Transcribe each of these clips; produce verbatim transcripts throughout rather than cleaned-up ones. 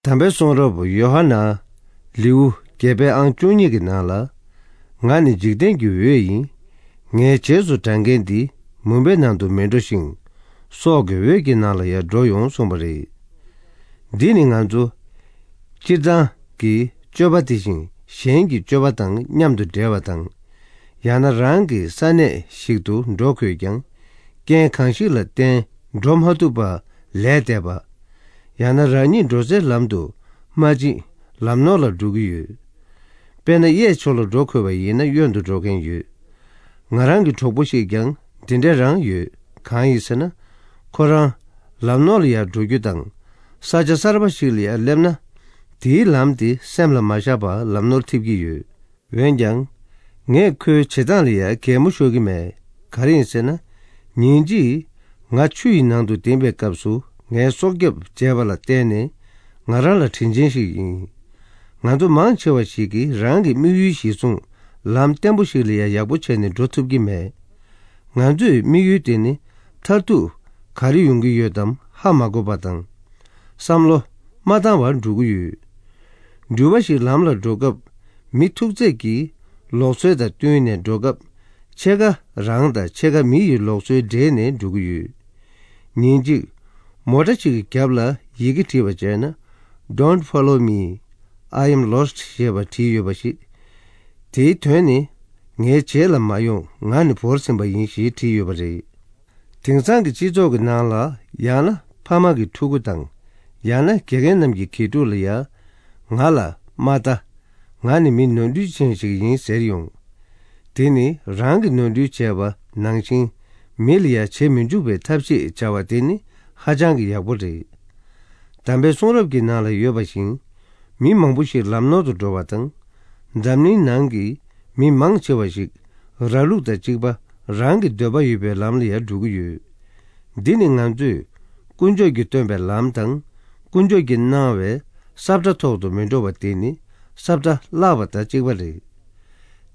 དམ་པའི་གསུང་རབ་ཡོ་ཧ་ནན་ལེའུ་བརྒྱད་པའི་ཨང་བཅུ་གཉིས་ཀྱི་ནང་ལ། ང་ནི་འཇིག་རྟེན་གྱི་འོད་ཡིན། ངའི་རྗེས་སུ་འབྲང་མཁན་འདི་མུན་པའི་ནང་དུ་མི་འགྲོ་ཞིང་། སྲོག་གི་འོད་ཀྱི་ནང་ལ་ཡང་འགྲོ་ཡོང་གསུངས་པ་རེད། འདི་ནི་ང་ཚོ་སྤྱིར་བཏང་གི་སྤྱོད་པ་དེ་བཞིན་གཞན་གྱི་སྤྱོད་པ་དང་མཉམ་དུ་འབྲེལ་བ་དང་། ཡང་ན་རང་གི་ས་གནས་ཤིག་ཏུ་འགྲོ་དགོས་ཀྱང་། རྐྱེན་གང་ཞིག་ལ་བརྟེན་འགྲོ་མ་ཐུབ་པ་ལས་འདས་པ། ཡང་ན་རང་ཉིད་འགྲོ་སའི་ལམ་དུ་མ་ཕྱིན་ལམ་ནོར་ལ་འགྲོ་གི་ཡོད། དཔེར་ན་གཡས་ཕྱོགས་ལ་འགྲོ་དགོས་པ་ཡིན་ན་གཡོན་དུ་འགྲོ་མཁན་ཡོད། ང་རང་གི་གྲོགས་པོ་ཞིག་ཀྱང་འདི་འདྲ་རང་ཡོད། གང་ཡིན་ཟེར་ན། ཁོ་རང་ལམ་ནོར་ལ་ཡར་འགྲོ་རྒྱུ་དང་། ས་ཆ་གསར་པ་ཞིག་ལ་ཡར་སླེབས་ན། དེའི་ལམ་དེ་སེམས་ལ་མ་བཞག་པར་ལམ་ནོར་ཐེབས་ཀྱི་ཡོད། འོན་ཀྱང་། ངས་ཁོའི་བྱེད་སྟངས་ལ་ཡང་གད་མོ་ཤོར་གྱི་མེད། ག་རེ་ཡིན་ཟེར་ན། ཉིན་གཅིག་ང་ཆུ་ཡི་ནང་དུ་ལྡིང་བའི་སྐབས་སུ་ངའི་སྲོག་སྐྱབས་བྱས་པ་ལ་བརྟེན་ནས་ང་རང་ལ་དྲིན་ཆེན་ཞིག་ཡིན། ང་ཚོ་མང་ཆེ་བ་ཞིག་གིས་རང་གི་དམིགས་ཡུལ་གཞིར་བཟུང་ལམ་བརྟན་པོ་ཞིག་ལ་ཡང་ཡག་པོ་བྱས་ནས་འགྲོ་ཐུབ་ཀྱི་མེད། ང་ཚོའི་དམིགས་ཡུལ་དེ་ནི་མཐར་ཐུག་ག་རེ་ཡོང་གི་ཡོད་དམ་ཧ་མ་གོ་བ་དང་། བསམ་བློ་མ་བཏང་བར་འགྲོ་གི་ཡོད། འགྲུལ་པ་ཞིག་ལམ་ལ་འགྲོ་སྐབས་མི་ཐུག་ཚད་ཀྱིས་ལུགས་སྲོལ་དང་བསྟུན་ནས་འགྲོ་སྐབས་ཕྱེད་ཀ་རང་དང་ཕྱེད་ཀ་མི་ཡི་ལུགས་སྲོལ་འདྲེས་ནས་འགྲོ་གི་ཡོད། ཉིན་གཅིག་མོ་ཊ་ཞིག་གི་རྒྱབ་ལ་ཡི་གེ་བྲིས་པ་བྱས་ན། Don't follow me. I am lost. ཞེས་པ་བྲིས་ཡོད་པ་ཞིག་དེའི་དོན་ནི། ངའི་རྗེས་ལ་མ་ཡོང་། ང་ནི་བོར་ཟིན་པ་ཡིན་ཞེས་བྲིས་ཡོད་པ་རེད། དེང་སང་གི་སྤྱི་ཚོགས་ཀྱི་ནང་ལ། ཡང་ན་ཕ་མ་གི་ཕྲུ་གུ་དང་། ཡང་ན་དགེ་རྒན་རྣམས་ཀྱི་དགེ་ཕྲུག་ལ་ཡང་། ང་ལ་མ་ལྟ། ང་ནི་མི་ནོར་འཁྲུལ་ཅན་ཞིག་ཡིན་ཟེར་ཡོང་། དེ་ནི་རང་གི་ནོར་འཁྲུལ་བྱས་པ་ནང་བཞིན་མི་ལ་ཡང་བྱེད་མི་འཇུག་པའི་ཐབས་ཤེས་བྱ་བ་དེ་ནི་ཧ་ཅང་གི་ཡག་པོ་རེད། དམ་པའི་གསུང་རབ་ཀྱི་ནང་ལ་ཡོད་པ་བཞིན། མི་མང་པོ་ཞིག་ལམ་ནོར་དུ་འགྲོ་བ་དང་། འཛམ་གླིང་ནང་གི་མི་མང་ཆེ་བ་ཞིག་ར་ལུག་དང་གཅིག་པ་རང་གི་འདོད་པ་ཡོད་པའི་ལམ་ལ་ཡང་འགྲོ་གི་ཡོད། འདི་ནི་ང་ཚོས་དཀོན་མཆོག་གིས་སྟོན་པའི་ལམ་དང་། དཀོན་མཆོག་གིས་གནང་བའི་ས་བཀྲ་ཐོག་ཏུ་མི་འགྲོ་བ་དེ་ནི་ས་བཀྲ་བརླག་པ་དང་གཅིག་པ་རེད།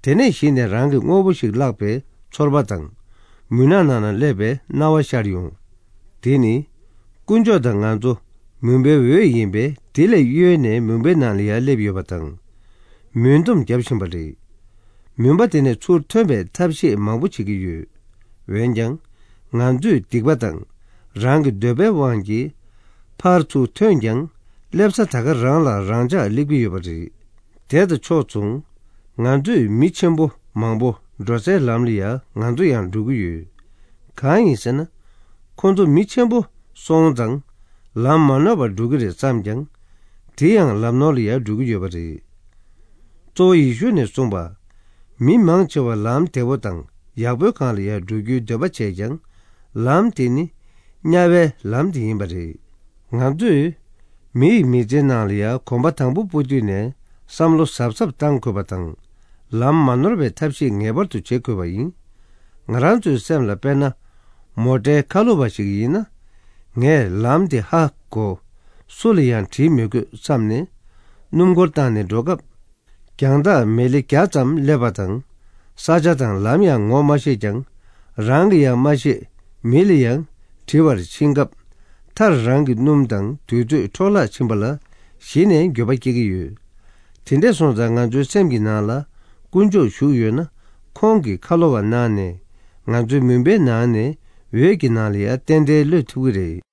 དེ་ནས་གཞི་ནས་རང་གི་དངོས་པོ་ཞིག་བརླག་པའི་ཚོར་བ་དང་། མུན་ནག་ནང་ན་སླེབས་པའི་སྣང་བ་ཤར་ཡོང་། དེ་ནི། དཀོན་མཆོག་དང་ང་ཚོ་མུན་པའི་འོད་ཡིན་པས། དེ་ལས་གཡོལ་ནས་མུན་པའི་ནང་ལ་ཡར་སླེབས་ཡོད་པ་དང་། མུན་འཐོམས་བརྒྱབ་བཞིན་པ་རེད། མུན་པ་དེ་ནས་ཚུར་ཐོན་པའི་ཐབས་ཤེས་མང་པོ་བྱེད་ཀྱི་ཡོད། འོན་ཀྱང་། ང་ཚོས་སྡིག་པ་དང་། རང་གི་འདོད་པའི་དབང་གིས། ཕར་ཚུར་ཐོན་ཀྱང་། སླེབས་ས་ད་ག་རང་ལ་རང་འཇགས་སླེབས་ཀྱི་ཡོད་པ་རེད། དེ་དང་ཕྱོགས་མཚུངས། ང་ཚོས་མི་ཆེན་པོ་མང་པོ་འགྲོ་སའི་ལམ་ལ་ཡང་ང་ཚོ་ཡང་འགྲོ་གི་ཡོད། གང་ཡིན་ཟེར་ན། ཁོ་ཚོ་མི་ཆེན་པོ་སོང་ཙང་ལམ་མ་ནོར་བར་འགྲོ་གི་རེད་བསམ་ཀྱང་། དེ་ཡང་ལམ་ནོར་ལ་ཡང་འགྲོ་གི་ཡོད་པ་རེད། གཙོ་བོ་ཡེ་ཤུ་ནས་གསུངས་པ། མི་མང་ཆེ་བ་ལམ་བདེ་བོ་དང་ཡག་པོའི་སྒང་ལ་ཡང་འགྲོ་རྒྱུའི་འདོད་པ་བྱས་ཀྱང་། ལམ་དེ་ནི་དམྱལ་བའི་ལམ་དེ་ཡིན་པ་རེད། ང་ཚོས་མི་ཡི་མི་ཚེའི་ནང་ལ་ཡང་གོམ་པ་དང་པོ་སྤོ་དུས་ནས་བསམ་བློ་གཟབ་གཟབ་བཏང་དགོས་པ་དང་། ལམ་མ་ནོར་བའི་ཐབས་ཤེས་ངེས་པར་དུ་བྱེད་དགོས་པ་ཡིན། ང་རང་ཚོའི་སེམས་ལ། དཔེར་ན། མོ་ཊའི་ཁ་ལོ་བ་ཞིག་ཡིན་ན། ངས་ལམ་དེ་ཧ་གོ། སུ་ལ་ཡང་དྲིས་མི་དགོས་བསམ་ནས། སྣུམ་འཁོར་བཏང་ནས་འགྲོ་སྐབས། རྒྱང་ཐག་མི་ལེ་བརྒྱ་ཙམ་སླེབས་པ་དང་། ས་ཆ་དང་ལམ་ཡང་ངོ་མ་ཤེས་ཀྱང་། རང་གིས་ཡང་མ་ཤེས། མི་ལ་ཡང་དྲི་བར་ཕྱིན་སྐབས། མཐར་རང་གི་སྣུམ་དང་དུས་ཚོད་འཕྲོ་བརླག་ཕྱིན་པ་ལ་གཞི་ནས་འགྱོད་པ་སྐྱེ་གི་ཡོད། དེ་འདྲས་སོང་ཙང་ང་ཚོའི་སེམས་ཀྱི་ནང་ལ་དཀོན་མཆོག་བཞུགས་ཡོད་ན། ཁོང་གིས་ཁ་ལོ་བ་གནང་ནས། ང་ཚོའི་མུན་པའི་ནང་ནས་འོད་ཀྱི་ནང་ལ་ཡང་ཏན་ཏན་གློད་ཐུབ་ཀྱི་རེད།